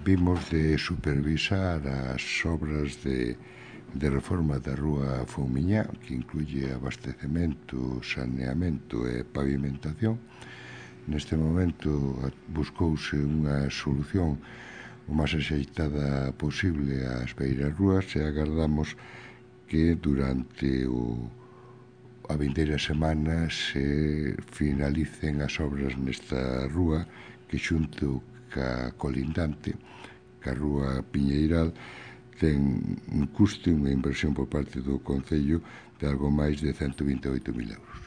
vimos de supervisar as obras de reforma da rúa Foumiñá, que incluye abastecemento, saneamento e pavimentación. Neste momento buscouse unha solución o máis axeitada posible ás beiras rúas e agardamos que durante a vindeira semana se finalicen as obras nesta rúa que xunto ca colindante, ca rúa Piñeiral, ten un custe, unha inversión por parte do Concello de algo máis de 128.000 euros.